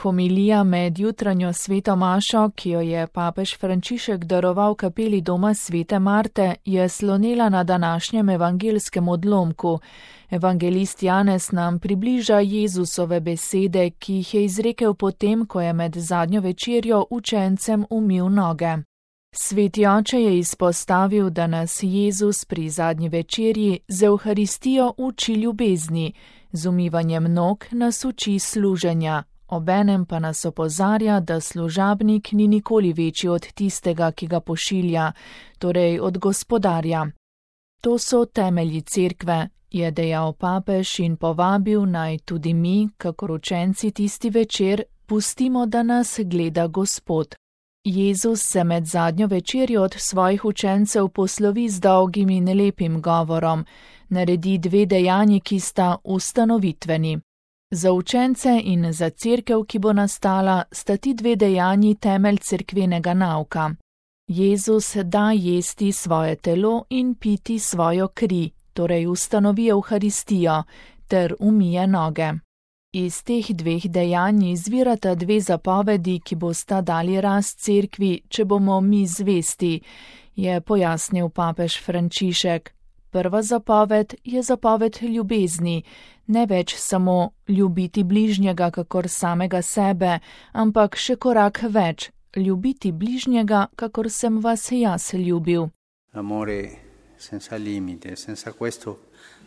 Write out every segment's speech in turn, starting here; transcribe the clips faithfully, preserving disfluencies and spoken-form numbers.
Homilija med jutranjo sveto mašo, ki jo je papež Frančišek daroval kapeli doma svete Marte, je slonela na današnjem evangelskem odlomku. Evangelist Janez nam približa Jezusove besede, ki jih je izrekel potem, ko je med zadnjo večerjo učencem umil noge. Sveti oče je izpostavil, da nas Jezus pri zadnji večerji z Evharistijo uči ljubezni, z umivanjem nog nas uči služenja. Obenem pa nas opozarja, da služabnik ni nikoli večji od tistega, ki ga pošilja, torej od gospodarja. To so temelji cerkve, je dejal papež in povabil naj tudi mi, kakor učenci tisti večer, pustimo, da nas gleda Gospod. Jezus se med zadnjo večerjo od svojih učencev poslovi z dolgim in lepim govorom, naredi dve dejanji, ki sta ustanovitveni. Za učence in za cerkev, ki bo nastala, sta ti dve dejanji temelj cerkvenega nauka. Jezus da jesti svoje telo in piti svojo kri, torej ustanovi Evharistijo, ter umije noge. Iz teh dveh dejanj izvirata dve zapovedi, ki bosta dali rast cerkvi, če bomo mi zvesti, je pojasnil papež Frančišek. Prva zapoved je zapoved ljubezni, ne več samo ljubiti bližnjega kakor samega sebe, ampak še korak več, ljubiti bližnjega, kakor sem vas jaz ljubil. Amore senza limite, senza questo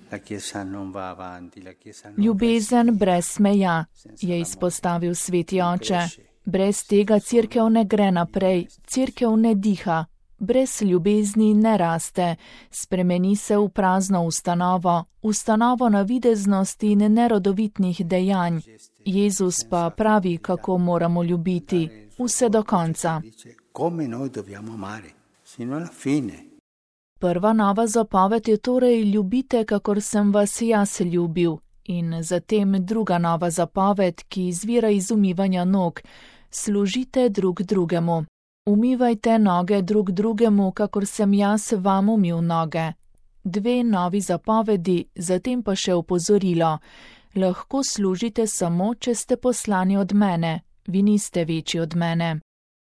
la Chiesa non va avanti, la Chiesa non Ljubezen brez meja, je izpostavil sveti oče. Brez tega cerkev ne gre naprej, cerkev ne diha. Brez ljubezni ne raste, spremeni se v prazno ustanovo, ustanovo navideznosti in nerodovitnih dejanj. Jezus pa pravi, kako moramo ljubiti, vse do konca. Prva nova zapoved je torej ljubite, kakor sem vas jaz ljubil, in zatem druga nova zapoved, ki izvira iz umivanja nog, služite drug drugemu. Umivajte noge drug drugemu, kakor sem jaz vam umil noge. Dve novi zapovedi, zatem pa še opozorilo. Lahko služite samo, če ste poslani od mene, vi niste večji od mene.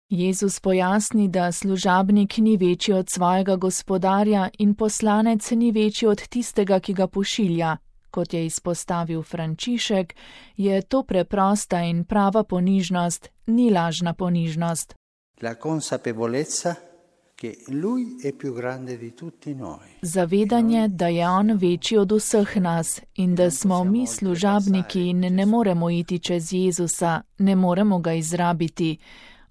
Jezus pojasni, da služabnik ni večji od svojega gospodarja in poslanec ni večji od tistega, ki ga pošilja. Kot je izpostavil Frančišek, je to preprosta in prava ponižnost, ni lažna ponižnost. La consapevolezza che lui è più grande di tutti noi. Zavedanje, da je on večji od vseh nas in da smo mi služabniki in ne moremo iti čez Jezusa, ne moremo ga izrabiti.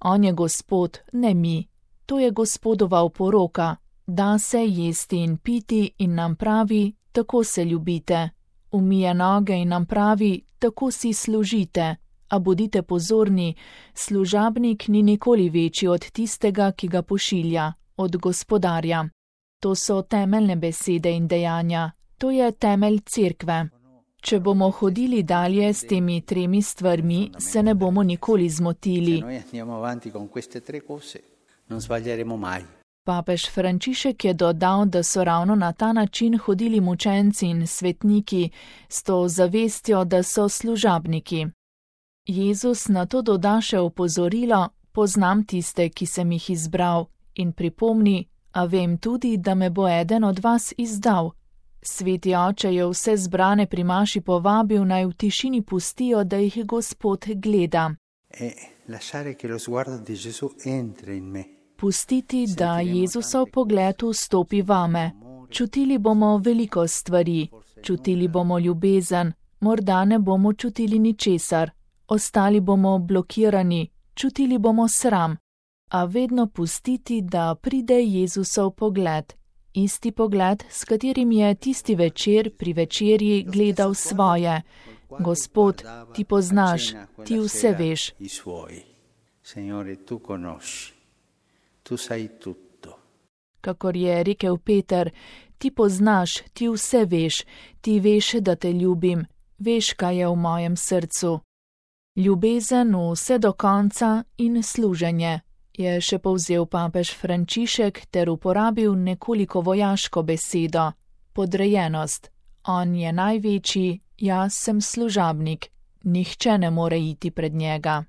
On je Gospod, ne mi. To je Gospodova oporoka. Da se jesti in piti in nam pravi, tako se ljubite. Umije noge in nam pravi, tako si služite. A bodite pozorni, služabnik ni nikoli večji od tistega, ki ga pošilja, od gospodarja. To so temeljne besede in dejanja, to je temelj cerkve. Če bomo hodili dalje s temi tremi stvarmi, se ne bomo nikoli zmotili. Papež Frančišek je dodal, da so ravno na ta način hodili mučenci in svetniki, s to zavestjo, da so služabniki. Jezus na to doda še opozorilo, poznam tiste, ki sem jih izbral, in pripomni, a vem tudi, da me bo eden od vas izdal. Sveti oče je vse zbrane pri maši povabil, naj v tišini pustijo, da jih Gospod gleda. Pustiti, da Jezusov pogled vstopi vame. Čutili bomo veliko stvari, čutili bomo ljubezen, morda ne bomo čutili ničesar. Ostali bomo blokirani, čutili bomo sram, a vedno pustiti, da pride Jezusov pogled. Isti pogled, s katerim je tisti večer pri večerji gledal svoje. Gospod, ti poznaš, ti vse veš. Kakor je rekel Peter, ti poznaš, ti vse veš, ti veš, da te ljubim, veš, kaj je v mojem srcu. Ljubezen vse do konca in služenje, je še povzel papež Frančišek ter uporabil nekoliko vojaško besedo, podrejenost. On je največji, jaz sem služabnik, nihče ne more iti pred njega.